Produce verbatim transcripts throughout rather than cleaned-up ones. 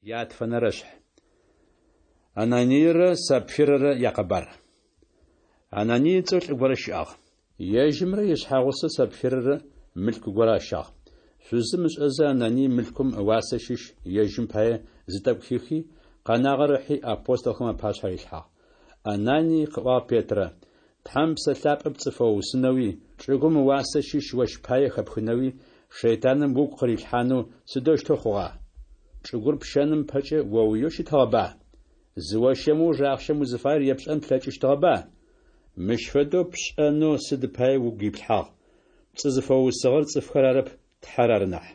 Ятфэнэрэшъхь. Ананийрэ Сапфирэрэ якъэбар. Ананий ыцӏэу лӏы горэ щыӏагъ. Ежьымрэ ишъхьэгъусэу Сапфирэрэ мылъку горэ ащагъ. Шъузым ышӏэзэ, Ананий мылъкум ыуасэ щыщ ежьым пае зы тӏэкӏу хихи, къэнагъэр ыхьи апостолхэм апашъхьэ рилъхьагъ. Ананий, къыӏуагъ Петрэ, Тхьэм Псэ Лъапӏэ пцӏы фэуусынэуи, чӏыгум ыуасэ щыщ ощ пае хэпхынэуи шэйтаным угу къырилъхьанэу сыдэущтэу хъугъа? Чӏыгур пщэным пэкӏэ оуиеу щытыгъэба? Зыощэм ыуж ахъщэм узыфаер епшӏэн плъэкӏыщтыгъэба? Мыщ фэдэу пшӏэнэу сыд пае угу иплъхьагъ? Пцӏы зыфэуусыгъэр цӏыфхэр арэп, Тхьэр ары нахь.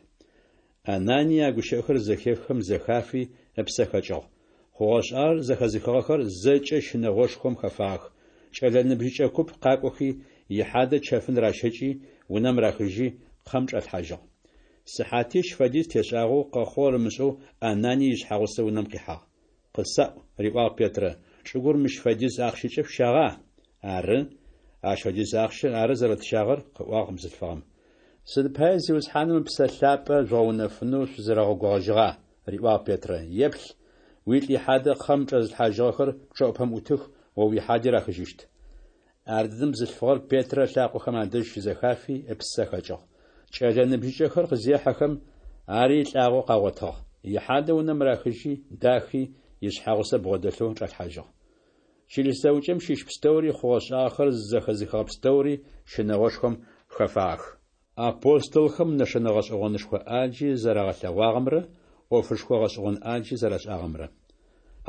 Ананий а гущыӏэхэр зэхеххэм зэхафи, ыпсэ хэкӏыгъ. Хъугъэ-шӏагъэр зэхэзыхыгъэхэр зэкӏэ щынэгъошхом хэфагъэх. Кӏэлэ ныбжьыкӏэ куп къакӏохи, ихьадэ чэфын ращэкӏи, унэм рахыжьи, кхъэм чӏалъхьажьыгъ. Сыхьатищ фэдиз тешӏагъэу, къэхъугъэр ымышӏэу Ананий ишъхьэгъусэ унэм къихьагъ. Къысаӏу, риӏуагъ Петрэ, чӏыгур мыщ фэдиз ахъщэкӏэ шъущагъа? Ары, ащ фэдиз ахъщэ ары зэрэтщагъэр, къыӏуагъ бзылъфыгъэм. Сыд пае Зиусхьаным Ыпсэ Лъапӏэ жъугъэунэфынэу шъузэрэгъэгугъэжьыгъа? риӏуагъ Петрэ. Еплъ, уилӏ ихьадэ кхъэм чӏэзылъхьажьыгъэхэр пчъэӏупэм ӏутых, о уихьади рахыжьыщт. Ардэдэм бзылъфыгъэр Петрэ ылъакъохэм адэжь щызэхафи, ыпсэ хэкӏыгъ. Кӏэлэ ныбжьыкӏэхэр къызехьэхэм, ари лӏагъэу къагъотыгъ. Ихьадэ унэм рахыжьи, дахи, ишъхьэгъусэ бгъодэлъэу чӏалъхьажьыгъ. Чылыс зэӏукӏэм щыщ пстэури хъугъэ-шӏагъэхэр зэхэзыхыгъэ пстэури щынэгъошхом хэфагъэх. Апостолхэм нэшэнэ гъэшӏэгъонышхо ӏаджи зэрагъэлъэгъуагъэмрэ ӏофышхо гъэшӏэгъон ӏаджи зэрашӏагъэмрэ.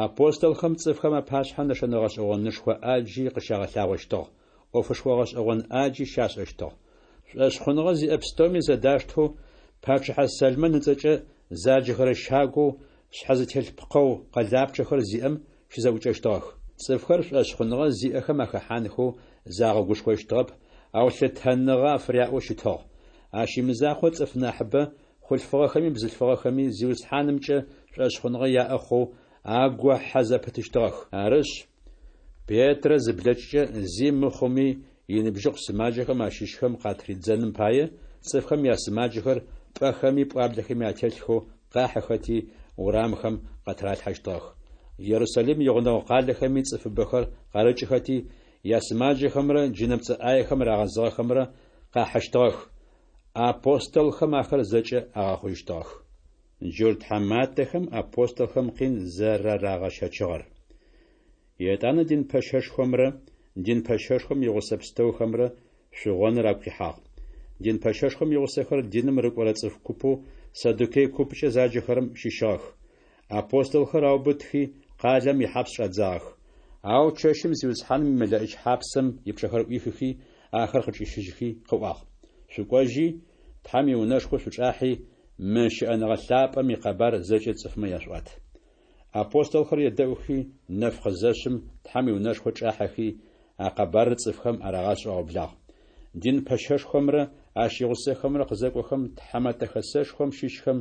Апостолхэм цӏыфхэм апашъхьэ нэшэнэ гъэшӏэгъонышхо ӏаджи къыщагъэлъагъощтыгъ, ӏофышхо гъэшӏэгъон ӏаджи щашӏэщтыгъ. Шӏошъхъуныгъэ зиӏэ пстэуми зэдаштэу пачъыхьэ Сэлмэн ыцӏэкӏэ заджэхэрэ щагоу шъхьэ зытелъ пкъэу къэлапчъэхэр зиӏэм щызэӏукӏэщтыгъэх. Цӏыфхэр шӏошъхъуныгъэ зиӏэхэм ахэхьанхэу загъэгушхощтыгъэп, ау лъытэныгъэ афыряӏэу щытыгъ. Ащ имызакъоу цӏыф нахьыбэ, хъулъфыгъэхэми бзылъфыгъэхэми, Зиусхьанымкӏэ шӏошъхъуныгъэ яӏэ хъоу агохьэ зэпытыщтыгъэх. Арышъ, Петрэ зыблэкӏкӏэ, зи мыхъуми иныбжьыкъу сымаджэхэм ащыщхэм къатридзэным пае, цӏыфхэм ясымаджэхэр пӏэхэми пӏуаблэхэми ателъхэу къахьыхэти, урамхэм къатыралъхьэщтыгъэх. Ерусалим игъунэгъу къалэхэми цӏыфыбэхэр къарыкӏыхэти, ясымаджэхэмрэ джынэпцӏэ ӏаехэм рагъэзыгъэхэмрэ къахьыщтыгъэх. Апостолхэм ахэр зэкӏэ агъэхъужьыщтыгъэх. Джурт тхьаматэхэм апостолхэм къин зэрарагъэщэчыгъэр. Етӏанэ дин пэщэшхомрэ дин пэщэшхом игъусэ пстэухэмрэ шъугъоныр агу къихьагъ. Дин пэщэшхом игъусэхэр диным рыкӏорэ цӏыф купэу саддукей купкӏэ заджэхэрэм щыщыгъэх. Апостолхэр аубытхи, къалэм ихьапс чӏадзагъэх. Ау чэщым Зиусхьаным имэлэӏич хьапсэм ипчъэхэр ӏуихыхи, ахэр къычӏищыжьхи къыӏуагъ: Шъукӏожьи, Тхьэм иунэшхо шъучӏахьи, мы щыӏэныгъэ лъапӏэм икъэбар зэкӏэ цӏыфмэ яшъуӏуат. Апостолхэр едэӏухи, нэф къызэшъым Тхьэм иунэшхо чӏахьэхи, а къэбарыр цӏыфхэм арагъашӏэу аублагъ. Дин пэщэшхомрэ ащ игъусэхэмрэ къызэкӏохэм, Тхьэмэтэ Хэсэшхом щыщхэм,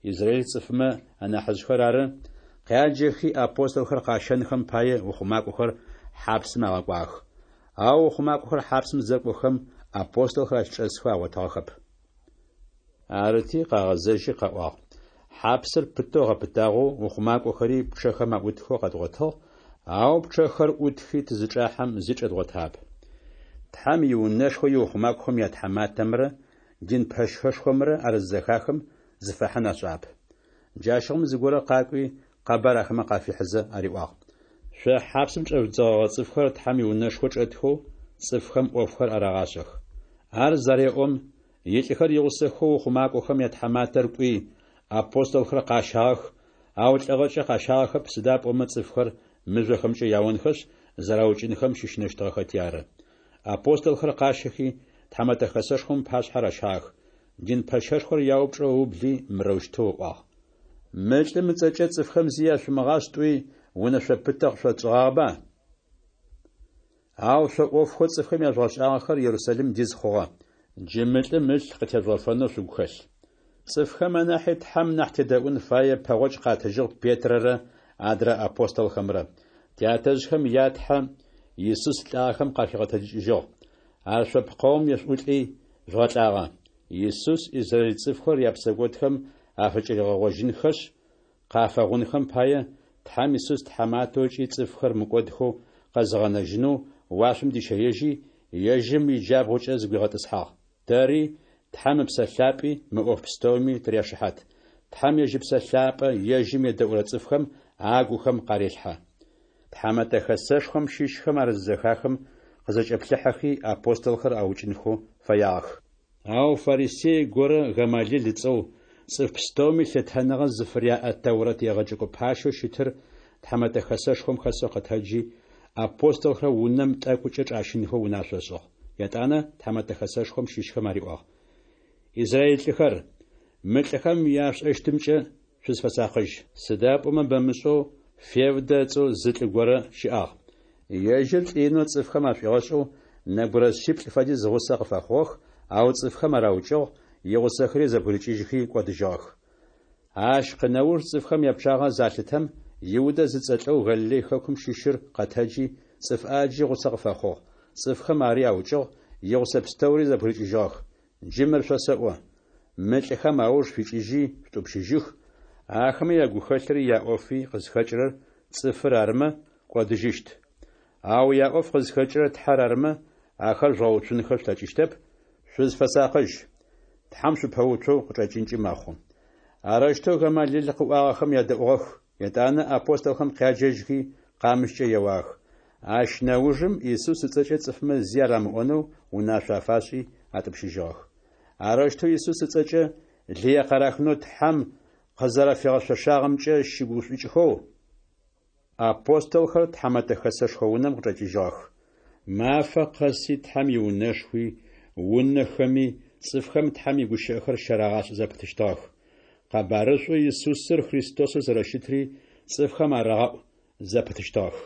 израиль цӏыфмэ анахьыжъхэр ары, къяджэхи апостолхэр къащэнхэм пае ухъумакӏохэр хьапсым агъэкӏуагъэх. Ау ухъумакӏохэр хьапсым зэкӏохэм, апостолхэр ащ чӏэсхэу агъотыгъэхэп. Арыти, къагъэзэжьи къаӏуагъ: Хьапсыр пытэу гъэпытагъэу, ухъумакӏохэри пчъэхэм аӏутхэу къэдгъотыгъ, ау пчъэхэр ӏутхи тызычӏахьэм зи чӏэдгъотагъэп. Тхьэм иунэшхо иухъумакӏохэм ятхьаматэмрэ дин пэщэшхомрэ ар зызэхахым, зыфахьын ашӏагъэп. Джащыгъум зыгорэ къакӏуи, къэбар ахэмэ къафихьызэ ариӏуагъ: Шъо хьапсым чӏэжъудзэгъэгъэ цӏыфхэр Тхьэм иунэшхо чӏэтхэу цӏыфхэм ӏофхэр арагъашӏэх. Ар зареӏом, илӏыхэр игъусэхэу ухъумакӏохэм ятхьаматэр кӏуи, апостолхэр къащагъэх, ау лӏыгъэкӏэ къащагъэхэп, сыда пӏомэ цӏыфхэр мыжъохэмкӏэ яонхэшъ, зэраукӏынхэм щыщынэщтыгъэхэти ары. Апостолхэр къащэхи, Тхьэмэтэ Хэсэшхом ыпашъхьэ ращагъэх. Дин пэщэшхор яупчӏэу ыубли, мырэущтэу ыӏуагъ: Мы лӏым ыцӏэкӏэ цӏыфхэм зи яшъумыгъашӏ тӏуи, унэшъо пытэ къышъотшӏыгъагъэба? Ау шъо ӏофхэу цӏыфхэм яжъугъэшӏагъэхэр Ерусалим диз хъугъэ. Джы мы лӏым ылъ къытежъугъэфэнэу шъугу хэлъ. Цӏыфхэм анахьи Тхьэм нахь тедэӏун фае, пэгъокӏ къатыжьыгъ Петрэрэ адрэ апостолхэмрэ. Тятэжъхэм я Тхьэ Исус лӏагъэхэм къахигъэтэджыкӏыжьыгъ. Ар шъо пкъэум ешъуӏулӏи, жъугъэлӏагъэ. Исус израиль цӏыфхэр япсэкӏодхэм афыкӏыригъэгъожьынхэшъ, Къафэгъунхэм пае, Тхьэм Исус тхьаматэу ыкӏи цӏыфхэр мыкӏодхэу къэзыгъэнэжьынэу уашъом дищэежьи, ежьым иджабгъукӏэ зыгуигъэтӏысхьагъ. Тэри, Тхьэм Ыпсэ Лъапӏи мы ӏоф пстэуми тыряшыхьат. Тхьэм ежь Ыпсэ Лъапӏэ ежьым едэӏурэ цӏыфхэм агухэм къарелъхьэ. Тхьэмэтэ Хэсэшхом щыщхэм ар зызэхахым, къызэкӏэплъыхьэхи, апостолхэр аукӏынхэу фэягъэх. Ау фарисей горэ, Гамалил ыцӏэу, цӏыф пстэуми лъытэныгъэ зыфыряӏэ Тэурэт егъэджэкӏо пащэу щытыр Тхьэмэтэ Хэсэшхом хэсэу къэтэджи, апостолхэр унэм тӏэкӏукӏэ чӏащынхэу унашъо ышӏыгъ. Етӏанэ Тхьэмэтэ Хэсэшхом щыщхэм ариӏуагъ: Израиль лӏыхэр, мы лӏыхэм яшъушӏэщтымкӏэ шъузфэсакъыжь. Сыда пӏомэ бэмышӏэу Февдэ ыцӏэу зы лӏы горэ щыӏагъ. Ежьыр лӏы инэу цӏыфхэм ашӏуигъэшӏэу, нэбгырэ шъиплӏ фэдиз гъусэ къыфэхъугъэх, ау цӏыфхэм ар аукӏыгъ, игъусэхэри зэбгырыкӏыжьхи кӏодыжьыгъэх. Ащ къынэуж цӏыфхэм япчъагъэ залъытэм, Иудэ зыцӏэ лӏэу Галилей хэкум щыщыр къэтэджи, цӏыф ӏаджи гъусэ къыфэхъугъ. Цӏыфхэм ари аукӏыгъ, игъусэ пстэури зэбгырыкӏыжьыгъэх. Джы мыр шъосэӏо: мы лӏыхэм ауж шъуикӏыжьи шъутӏупщыжьых, Ахэмэ ягухэлъри яӏофи къызхэкӏырэр цӏыфыр арымэ, кӏодыжьыщт. Ау яӏоф къызхэкӏырэр Тхьэр арымэ, ахэр жъугъэуцунхэ шъулъэкӏыщтэп, шъузфэсакъыжь. Тхьэм шъупэуцоу къычӏэкӏынкӏи мэхъу. Арэущтэу Гамалил къыӏуагъэхэм ядэӏугъэх, етӏанэ апостолхэм къяджэжьхи, къамыщкӏэ еуагъэх. Ащ нэужым Исус ыцӏэкӏэ цӏыфмэ зи арамыӏонэу унашъо афашӏи атӏупщыжьыгъэх. Арэущтэу Исус ыцӏэкӏэ лые къарахынэу Тхьэм къызэрэфигъэшъошагъэмкӏэ щыгушӏукӏхэу, апостолхэр Тхьэмэтэ Хэсэшхо унэм къычӏэкӏыжьыгъэх. Мафэ къэси Тхьэм иунэшхуи, унэхэми цӏыфхэм Тхьэм игущыӏэхэр щарагъашӏэ зэпытыщтыгъэх. Къэбарышӏоу Исусыр Христосэу зэрэщытри цӏыфхэм арагъэӏу зэпытыщтыгъэх.